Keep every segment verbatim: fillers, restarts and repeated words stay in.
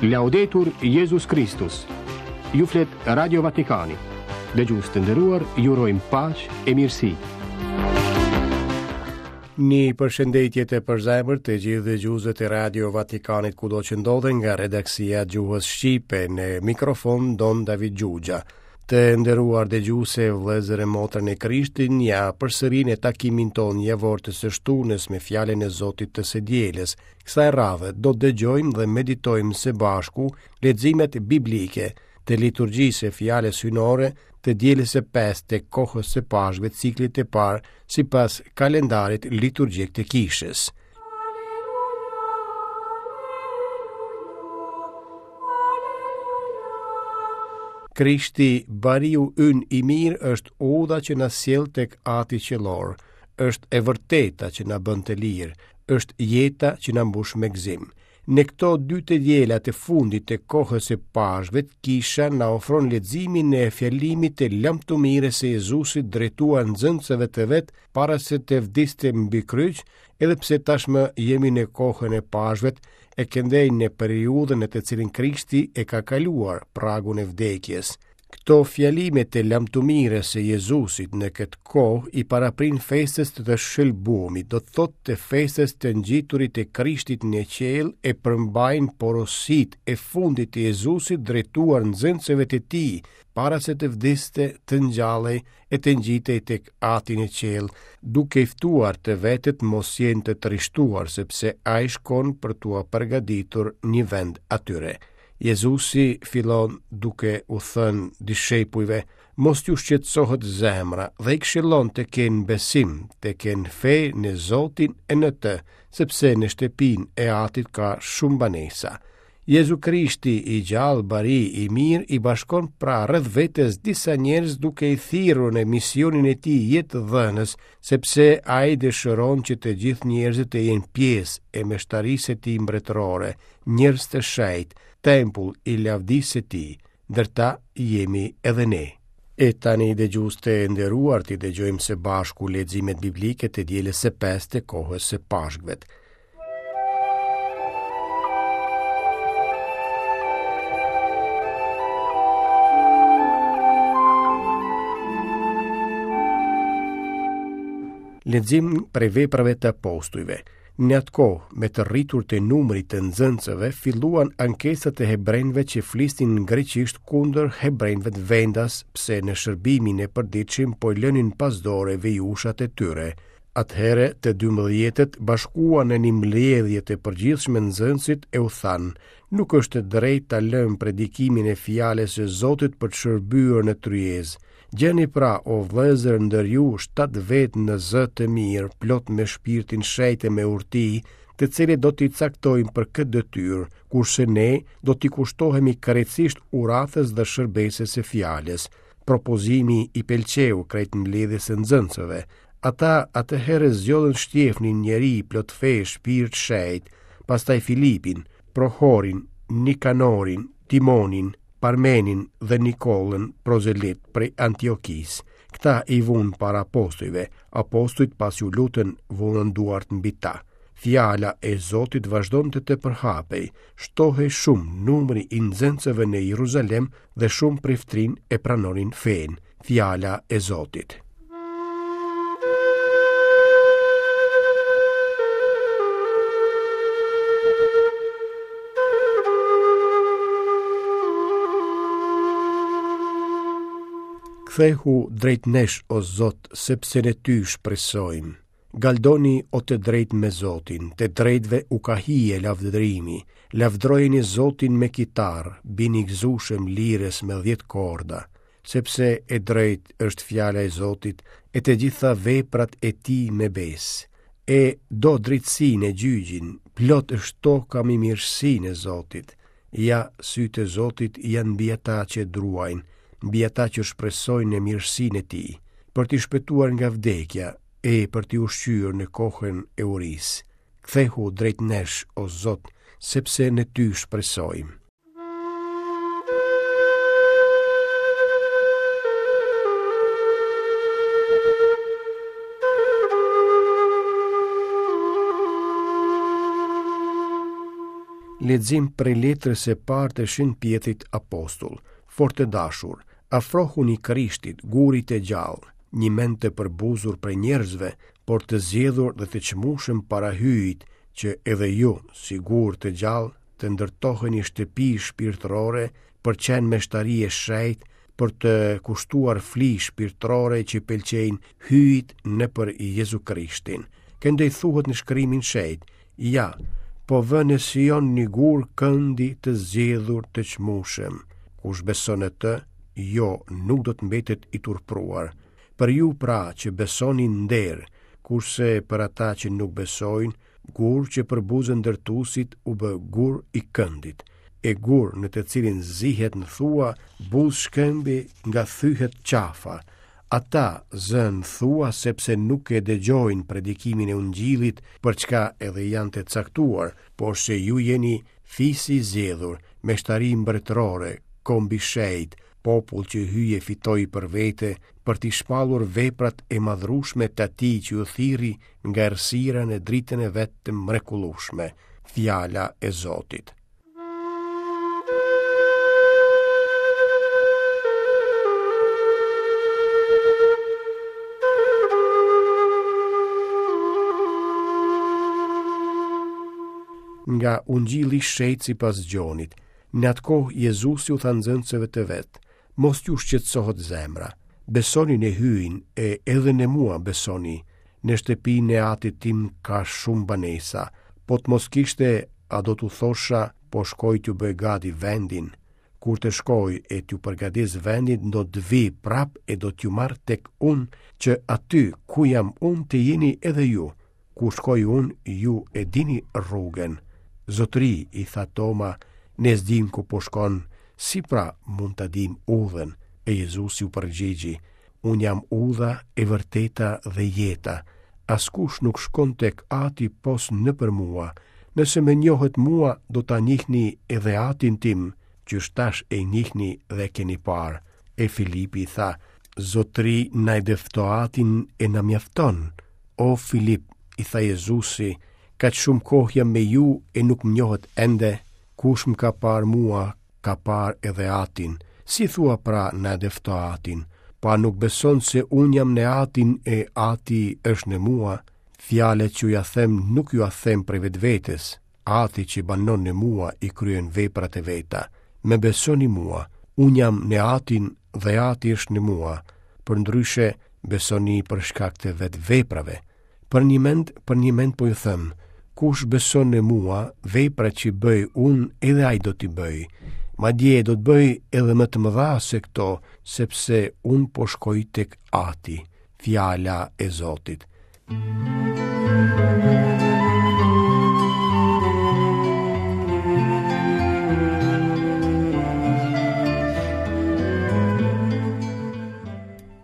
Laudetur Jezus Kristus. Ju flet Radio Vatikani. Dëgjues të nderuar, ju urojmë paqe e mirësi. Një përshëndetje të përzemërt të gjithë dëgjuesve të Radio Vatikanit kudo që ndodhen nga redaksia e gjuhës shqipe në mikrofon Don David Xhuxha. Të nderuar dëgjues, vëllezër e motra në Krishtin, ja përsëri në takimin tonë javor të së shtunës me fjalën e Zotit të së dielës. Kësaj radhe do të dëgjojmë dhe meditojmë së bashku leximet biblike të liturgjisë së fjalës hyjnore të dielës së pestë të kohës së Pashkëve, ciklit të parë sipas kalendarit liturgjik të kishës. Krishti, bariu ynë i mirë, është udha që na sjell tek Ati Qiellor, është e vërteta që na bën të lirë, është jeta që na mbush me gëzim. Në këto dy të diela të fundit të kohës së Pashkëve, kisha na ofron leximin e fjalimit të lamtumirës së Jezusit drejtuar nxënësve të vet para se të vdiste mbi kryq, edhe pse tashmë jemi në kohën e Pashkëve e këndej në periudhën në të cilën Krishti e ka kaluar pragun e vdekjes. Këto fjalime të lamtumirës së Jezusit në këtë kohë i paraprin festës të shëlbumit, do të thotë të festës të ngjiturit të Krishtit në qiell, e përmbajnë porositë e fundit të Jezusit drejtuar nxënësve të tij para se të vdiste, të ngjallej e të ngjitej tek Ati në qiell, duke i ftuar të vetët mos jenë të trishtuar, sepse ai shkon për t'ua përgatitur një vend atyre. Jezusi fillon duke u thënë dishepujve, mos t'ju shqetësohet zemra, dhe i këshillon të kenë besim, të kenë fe në Zotin e në të, sepse në shtëpinë e Atit ka shumë banesa. Jezu Krishti i gjallë, bari i mirë, i bashkon pra rreth vetes disa njerëz duke i thirrur në misionin e tij jetëdhënës, sepse ai dëshiron që të gjithë njerëzit të jenë pjesë e meshtarisë së tij mbretërore, njerëz të shenjtë, tempull i lavdisë së tij, ndër ta jemi edhe ne. E tani dëgjues të nderuar, t'i dëgjojmë së bashku leximet biblike të dielës së pestë të kohës së Pashkëve. Lexim prej veprave të apostujve. Në atë kohë, me të rritur të numrit të nxënësve, filluan ankesat e hebrenjve që flisnin greqisht kundër hebrenjve të vendas, pse në shërbimin e përditshëm po i lënin pas dore vejushat e tyre. Atëherë të dymbëdhjetët bashkuan në një mbledhje të përgjithshme nxënësit e u thanë: nuk është e drejtë ta lëmë predikimin e fjalës së Zotit për të shërbyer në tryezë. Gjeni pra, o vëllezër, ndër ju shtatë vetë në zë të mirë, plot me shpirtin shenjt e me urti, të cilët do t'i caktojmë për këtë detyrë, kurse ne do t'i kushtohemi krejtësisht uratës dhe shërbesës së fjalës. Propozimi i pëlqeu krejt mbledhjes së nxënësve. Ata atëherë zgjodhën Shtjefnin, njeri plot fe, shpirt shenjt, pastaj Filipin, Prohorin, Nikanorin, Timonin, Parmenin dhe Nikollën, prozelit prej Antiokisë. Këta i vunë para apostujve. Apostujt pasi u lutën, vunë duart mbi ta. Fjala e Zotit vazhdonte të përhapej, shtohej shumë numri i nxënësve në Jeruzalem dhe shumë priftrin e pranonin fenë. Fjala e Zotit. Kthehu drejt nesh, o Zot, sepse në ty shpresojmë. Galdoni o të drejtë me Zotin, të drejtëve u ka hije lavdërimi. Lavdrojeni Zotin me kitarë, bini gëzueshëm lirës me dhjetë korda, sepse e drejtë është fjala e Zotit, e të gjitha veprat e tij me besë. E do drejtësinë e gjyqin, plot është toka me mirësinë e Zotit. Ja, sytë e Zotit janë mbi ata që druajnë, mbi ata që shpresojnë në mirësinë e tij, për t'i shpëtuar nga vdekja e për t'i ushqyer në kohën e urisë. Kthehu drejt nesh, o Zot, sepse në ty shpresojmë. Lexim prej letrës së parë të Shën Pjetrit Apostull. Fort të dashur, afrohuni Krishtit, gurit të gjallë, njëmend të përbuzur prej njerëzve, por të zgjedhur dhe të çmueshëm para Hyjit, që edhe ju, si gur të gjallë, të ndërtoheni shtëpi shpirtërore për qenë meshtari e shenjtë, për të kushtuar fli shpirtërore që pëlqejnë Hyjit nëpër Jezu Krishtin. Këndej thuhet në shkrimin shenjt, ja, po vë në Sion një gur këndi të zgjedhur të çmueshëm. Kush beson në të, jo, nuk do të mbetet i turpruar. Për ju pra që besoni nder, kurse për ata që nuk besojnë, gur që përbuzën ndërtuesit u bë gur i këndit, e gur në të cilin zihet në thua, buzë shkëmbi nga thyhet qafa. Ata zënë thua sepse nuk e dëgjojnë predikimin e ungjillit, për çka edhe janë të caktuar, por se ju jeni fisi i zgjedhur, meshtari mbretërore, komb i shenjtë, popull që Hyji e fitoi për vete, për t'i shpallur veprat e madhrushme të atij që ju thirri nga errësira në dritën e vet të mrekullueshme. Fjala e Zotit. Nga Ungjilli i Shenjtë sipas Gjonit. Në atë kohë Jezusi u tha nxënësve të vet: Mos t'ju shqetësohet zemra. Besoni në Hyjin e edhe në mua besoni. Në shtëpinë e atit tim ka shumë banesa. Po të mos kishte, a do t'u thosha, po shkoj t'ju bëj gati vendin. Kur të shkoj e t'ju përgatis vendin, do të vi prap e do t'ju marr tek unë, që aty ku jam unë të jeni edhe ju. Ku shkoj unë, ju e dini rrugën. Zotëri, i tha Toma, ne s'dim ku po shkon, si pra mund ta dim udhën? E Jezusi u përgjigji, unë jam udha e vërteta dhe jeta. Askush nuk shkon tek Ati pos nëpër mua. Nëse më njohët mua, do ta njihni edhe Atin tim, që tash e njihni dhe keni parë. E Filipi i tha, Zotëri, na e dëfto Atin e na mjafton. O Filip, i tha Jezusi, kaq shumë kohë jam me ju e nuk më njohët ende. Kush më ka parë mua, ka parë edhe Atin. Si thua pra na e dëfto Atin? Pa nuk beson se unë jam në Atin e Ati është në mua? Fjalët që ju a them nuk ju a them prej vetvetes. Ati që banon në mua i kryen veprat e veta. Më besoni mua, unë jam në Atin dhe Ati është në mua. Përndryshe, besoni për shkak të vetë veprave. Për një mend, për një mend po ju them, kush beson në mua, veprat që bëj unë edhe ai do t'i bëj. Madje do të bëj edhe më të mëdha se këto, sepse unë po shkoj tek Ati. Fjala e Zotit.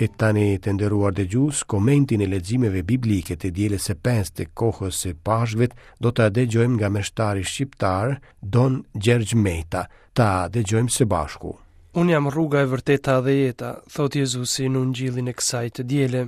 E tani të nderuar dëgjues, komentin e leximeve biblike të dielës së pestë të kohës së Pashkëve do ta dëgjojmë nga meshtari shqiptar Don Gjergj Meta. Ta dëgjojmë së bashku. Unë jam rruga e vërteta dhe jeta, thot Jezusi në ungjillin e kësaj të diele.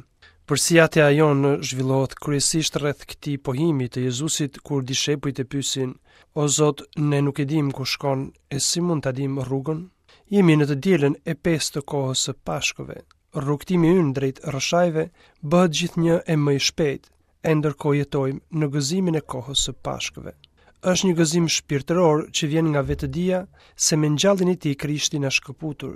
Përsiatja jonë zhvillohet kryesisht rreth këtij pohimi të Jezusit kur dishepujt e pyesin: O Zot, ne nuk e dim ku shkon e si mund ta dim rrugën? Jemi në të dielën e pestë të kohës së Pashkëve. Rrugtimi ynë drejt rrëshajve bëhet gjithnjë e më i shpejtë, e ndërkohë jetojmë në gëzimin e kohës së Pashkëve. Është një gëzim shpirtëror që vjen nga vetëdija se me ngjalljen e tij Krishti na shkëputur.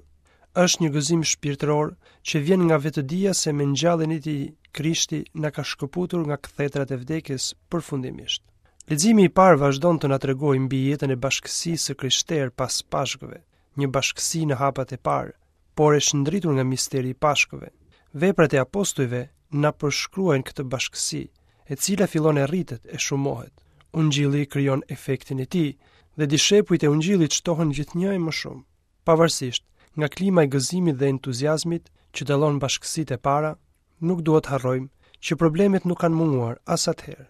Është një gëzim shpirtëror që vjen nga vetëdija se me ngjalljen e tij Krishti na ka shkëputur nga kthetrat e vdekjes përfundimisht. Leximi i parë vazhdon të na tregojë mbi jetën e bashkësisë së krishterë pas Pashkëve, një bashkësi në hapat e parë, por e shndritur nga misteri i Pashkëve. Veprat e apostujve na përshkruajnë këtë bashkësi, e cila fillon e rritet e shumohet. Ungjilli krijon efektin e tij dhe dishepujt e ungjillit shtohen gjithnjë e më shumë. Pavarësisht nga klima e gëzimit dhe entuziazmit që dallon bashkësitë e para, nuk duhet harrojmë që problemet nuk kanë munguar as atëherë.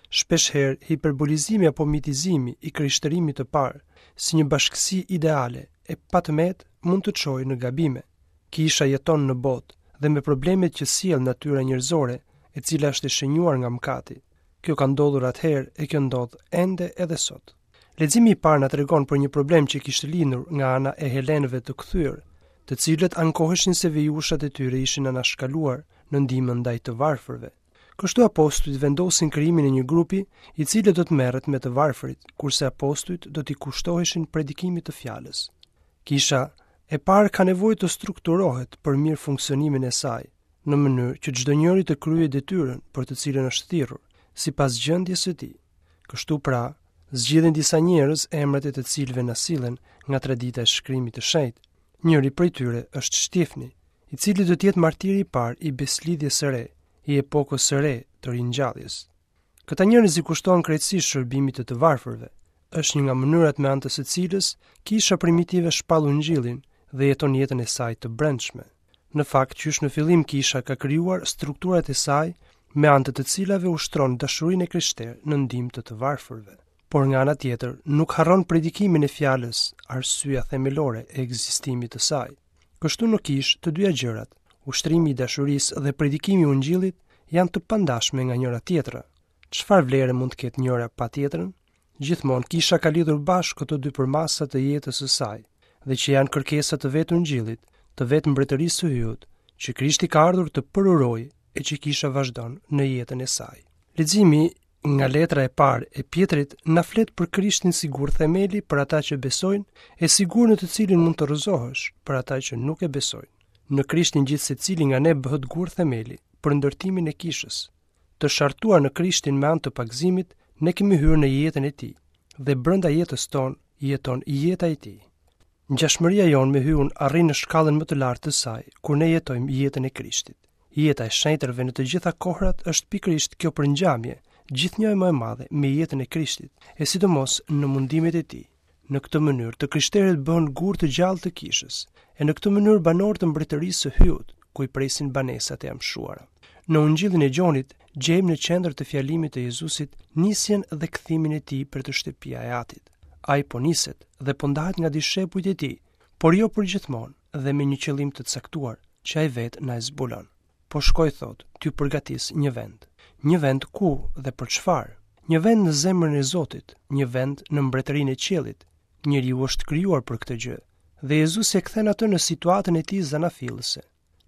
Shpeshherë hiperbolizimi apo mitizimi i krishtërimit të parë si një bashkësi ideale e patëmet mund të çojë në gabime. Kisha jeton në botë dhe me problemet që sjell natyra njerëzore, e cila është e shënjuar nga mëkati. Kjo ka ndodhur atëherë e kjo ndodh ende edhe sot. Leximi i parë na tregon për një problem që kishte lindur nga ana e helenëve të kthyer, të cilët ankoheshin se vejushat e tyre ishin anashkaluar në ndihmën ndaj të varfërve. Kështu apostujt vendosin krijimin e një grupi i cili do të merret me të varfërit, kurse apostujt do t'i kushtoheshin predikimit të fjalës. Kisha e parë ka nevojë të strukturohet për mirë funksionimin e saj, në mënyrë që çdo njeri të kryejë detyrën për të cilën është thirrur, sipas gjendjes së tij. Kështu pra, zgjidhen disa njerëz emrat e të cilëve na sillen nga tradita e shkrimit të shenjtë. Njëri prej tyre është Shtjefni, i cili do të jetë martiri i parë i beslidhjes së re, i epokës së re të ringjalljes. Këta njerëz i kushtohen krejtësisht shërbimit të të varfërve. Është një nga mënyrat me anë të së cilës kisha primitive shpall ungjillin dhe jeton jetën e saj të brendshme. Në fakt, qysh në fillim kisha ka krijuar strukturat e saj me anë të të cilave ushtron dashurinë e krishterë në ndihmë të të varfërve. Por nga ana tjetër, nuk harron predikimin e fjalës, arsyeja themelore e ekzistimit të saj. Kështu në kishë të dyja gjërat, ushtrimi i dashurisë dhe predikimi i ungjillit janë të pandashme nga njëra tjetra. Çfarë vlere mund të ketë njëra pa tjetrën? Gjithmonë kisha ka lidhur bashkë këto dy përmasa të jetës së saj dhe që janë kërkesa të vetë ungjillit, të vetë mbretërisë së Hyjit, që Krishti ka ardhur të përurojë e që kisha vazhdon në jetën e saj. Leximi nga letra e parë e Pjetrit na flet për Krishtin si gur themeli për ata që besojnë e si gur në të cilin mund të rrëzohesh për ata që nuk e besojnë. Në Krishtin gjithsecili nga ne bëhet gur themeli për ndërtimin e kishës. Të shartuar në Krishtin me anë të pagëzimit, ne kemi hyrë në jetën e tij dhe brenda jetës tonë jeton jeta e tij. Ngjashmëria jonë me Hyun arrin në shkallën më të lartë të saj kur ne jetojmë jetën e Krishtit. Jeta e shenjtërve në të gjitha kohrat është pikërisht kjo përngjamje, gjithnjë e më e madhe me jetën e Krishtit, e sidomos në mundimet e tij. Në këtë mënyrë, të krishterët bëhen gur të gjallë të kishës, e në këtë mënyrë banorë të mbretërisë së Hyut, ku i presin banesat e amshuara. Në Ungjillin e Gjonit gjejmë në qendër të fjalimit të Jezusit nisjen dhe kthimin e tij për të shtëpia e Atit. Ai po niset dhe po ndahet nga dishepujt e tij, por jo për gjithmonë dhe me një qëllim të caktuar që ai vetë na e zbulon. Po shkoj, thot, t'ju përgatis një vend. Një vend ku dhe për çfarë? Një vend në zemrën e Zotit, një vend në mbretërinë e qiellit. Njeriu është krijuar për këtë gjë dhe Jezusi e kthen atë në situatën e tij zanafillëse.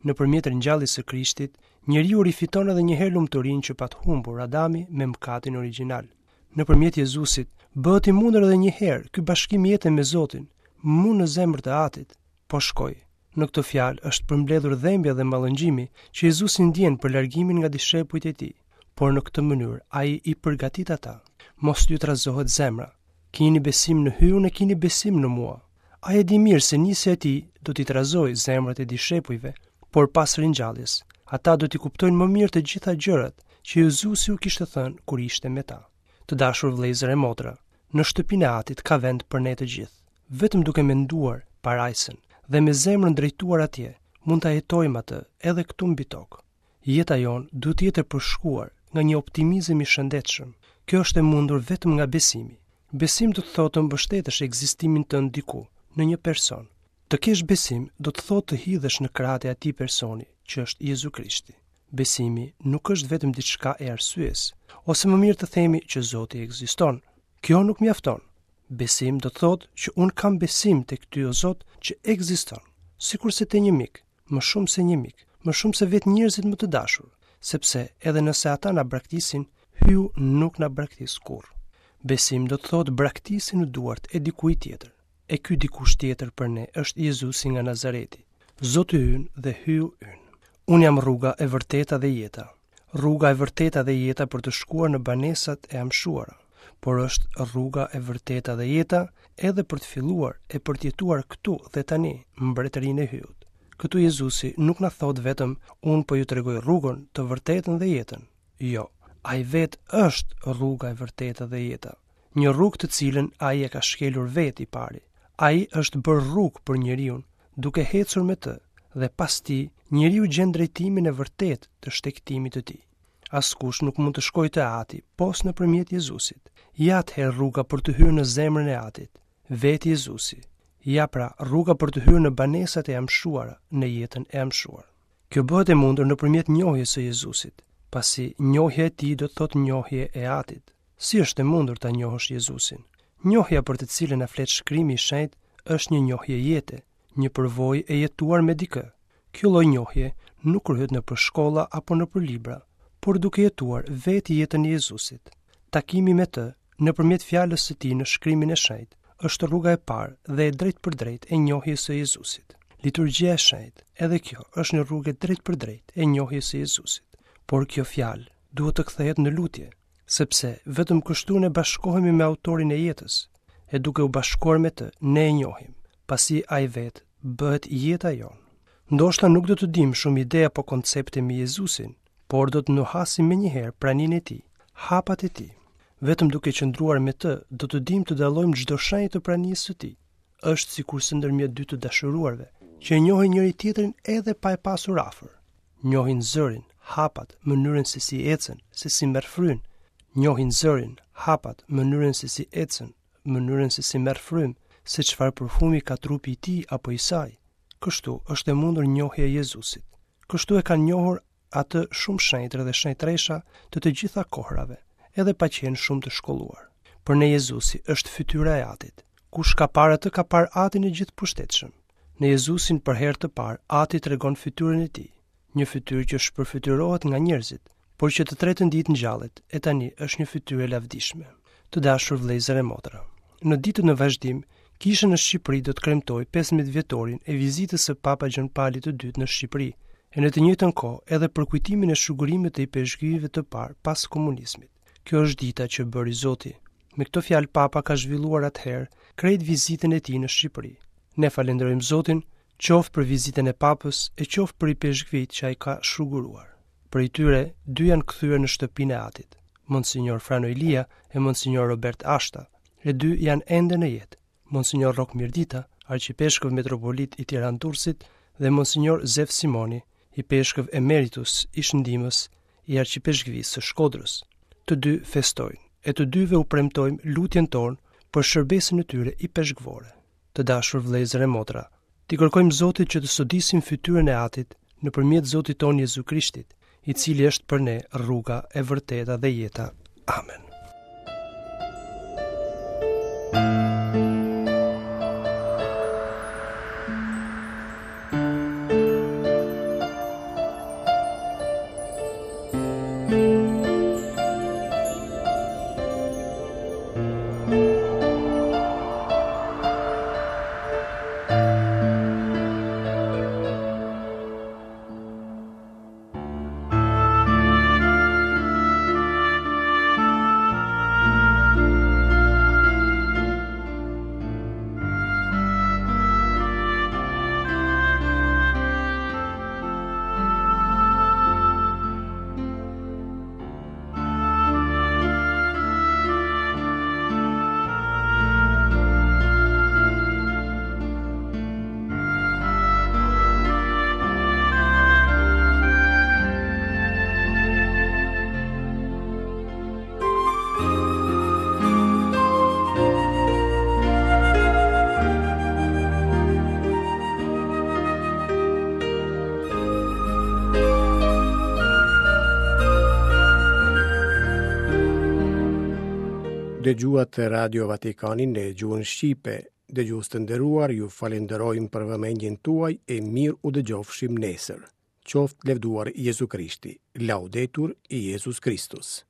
Nëpërmjet ringjalljes së Krishtit, njeriu rifiton edhe një herë lumturinë që pat humbur Adami me mëkatin origjinal. Nëpërmjet Jezusit bëhet i mundur edhe një herë ky bashkim jete me Zotin, mu në zemër të Atit. Po shkoj. Në këtë fjalë është përmbledhur dhembja dhe mallëngjimi që Jezusi ndjen për largimin nga dishepujt e tij, por në këtë mënyrë ai i përgatit ata. Mos t'ju trazohet zemra. Kini besim në Hyun e kini besim në mua. Ai e di mirë se nisja e tij do t'i trazojë zemrat e dishepujve, por pas ringjalljes, ata do t'i kuptojnë më mirë të gjitha gjërat që Jezusi u kishte thënë kur ishte me ta. Të dashur vëllezër e motra, në shtëpinë e Atit ka vend për ne të gjithë. Vetëm duke menduar parajsën dhe me zemrën drejtuar atje, mund ta jetojmë atë edhe këtu mbi tokë. Jeta jonë duhet të jetë e përshkuar nga një optimizëm i shëndetshëm. Kjo është e mundur vetëm nga besimi. Besim do të thotë të mbështetësh ekzistimin tënd diku, në një person. Të kesh besim do të thotë të hidhesh në krahët e atij personi, që është Jezu Krishti. Besimi nuk është vetëm diçka e arsyes, ose më mirë të themi që Zoti ekziston. Kjo nuk mjafton. Besim do të thotë që unë kam besim tek ty o Zot që ekziston, sikurse te një mik, më shumë se një mik, më shumë se vetë njerëzit më të dashur, sepse edhe nëse ata na braktisin, Hyu nuk na braktis kurrë. Besim do të thotë braktisi në duart e dikujt tjetër. E ky dikush tjetër për ne është Jezusi nga Nazareti, Zoti ynë dhe Hyu ynë. Unë jam rruga e vërteta dhe jeta. Rruga e vërteta dhe jeta për të shkuar në banesat e amshuara, por është rruga e vërteta dhe jeta edhe për të filluar e për të jetuar këtu dhe tani mbretërinë e Hyut. Këtu Jezusi nuk na thotë vetëm unë po ju tregoj rrugën, të vërtetën dhe jetën. Jo, ai vetë është rruga e vërteta dhe jeta. Një rrugë të cilën ai e ka shkelur vetë i pari. Ai është bërë rrugë për njeriun, duke ecur me të, dhe pas tij njeriu gjen drejtimin e vërtetë të shtegtimit të tij. Askush nuk mund të shkojë te Ati pos nëpërmjet Jezusit. Ja atëherë rruga për të hyrë në zemrën e Atit, vetë Jezusi. Ja pra, rruga për të hyrë në banesat e amshuara, në jetën e amshuar. Kjo bëhet e mundur nëpërmjet njohjes së Jezusit, pasi njohja e tij do të thotë njohje e Atit. Si është e mundur ta njohësh Jezusin? Njohja për të cilën na flet shkrimi i shenjtë është një njohje jete, një përvojë e jetuar me dikë. Kjo lloj njohje nuk kryhet nëpër shkolla apo nëpër libra, por duke jetuar vetë jetën e Jezusit. Takimi me të, nëpërmjet fjalës së tij në shkrimin e shenjtë, është rruga e parë dhe e drejtpërdrejtë e njohjes së Jezusit. Liturgjia e shenjtë, edhe kjo është një rrugë e drejtpërdrejtë e njohjes së Jezusit. Por kjo fjalë duhet të kthehet në lutje, sepse vetëm kështu ne bashkohemi me autorin e jetës, e duke u bashkuar me të, ne e njohim, pasi ai vetë bëhet jeta jonë. Ndoshta nuk do të dimë shumë ide apo koncepte mbi Jezusin, por do të nuhasim menjëherë praninë e tij, hapat e tij. Vetëm duke qëndruar me të, do të dimë të dallojmë çdo shenjë të pranisë së tij. Është sikurse ndërmjet dy të dashuruarve, që e njohin njëri tjetrin edhe pa e pasur afër. Njohin zërin, hapat, mënyrën se si ecën, se si merr fryn. Njohin zërin, hapat, mënyrën se si ecën, mënyrën se si merr frym, se çfarë parfumi ka trupi i tij apo i saj. Kështu është e mundur njohja e Jezusit. Kështu e kanë njohur atë shumë shenjtër dhe shenjtresha të të gjitha kohrave, edhe pa qenë shumë të shkolluar. Për ne Jezusi është fytyra e Atit. Kush ka parë atë ka parë Atin e gjithëpushtetshëm. Në Jezusin për herë të parë, Ati tregon fytyrën e tij, një fytyrë që shpërfytyrohet nga njerëzit, por që të tretën ditë ngjallet, e tani është një fytyrë e lavdishme. Të dashur vëllezër e motra, në ditët në vazhdim, Kisha në Shqipëri do të kremtojë pesëmbëdhjetë vjetorin e vizitës së Papa Gjon Palit të dytë në Shqipëri, e në të njëjtën kohë edhe përkujtimin e shugurimit të ipeshkvijve të parë pas komunizmit. Kjo është dita që bëri Zoti. Me këto fjalë Papa ka zhvilluar atëherë krejt vizitën e tij në Shqipëri. Ne falenderojmë Zotin, qoftë për vizitën e Papës e qoftë për ipeshkvijt që ai ka shuguruar. Prej tyre, dy janë kthyer në shtëpinë e Atit, Monsignor Frano Ilia e Monsignor Robert Ashta, e dy janë ende në jetë, Monsignor Rrok Mirdita, arqipeshkëv metropolit i Tiranë-Durrësit, dhe Monsignor Zef Simoni, ipeshkëv emeritus, ish ndihmës i arqipeshkvisë së Shkodrës. Të dy festojnë, e të dyve u premtojmë lutjen tonë për shërbesën e tyre ipeshkvore. Të dashur vëllezër e motra, t'i kërkojmë Zotit që të sodisim fytyrën e Atit nëpërmjet Zotit tonë Jezu Krishtit, i cili është për ne rruga e vërteta dhe jeta. Amen. Dëgjuat Radio Vatikanin në gjuhën shqipe. Dëgjues të nderuar, ju falenderojmë për vëmendjen tuaj e mirë u dëgjofshim nesër. Qoftë lëvduar Jezu Krishti. Laudetur Jezus Kristus.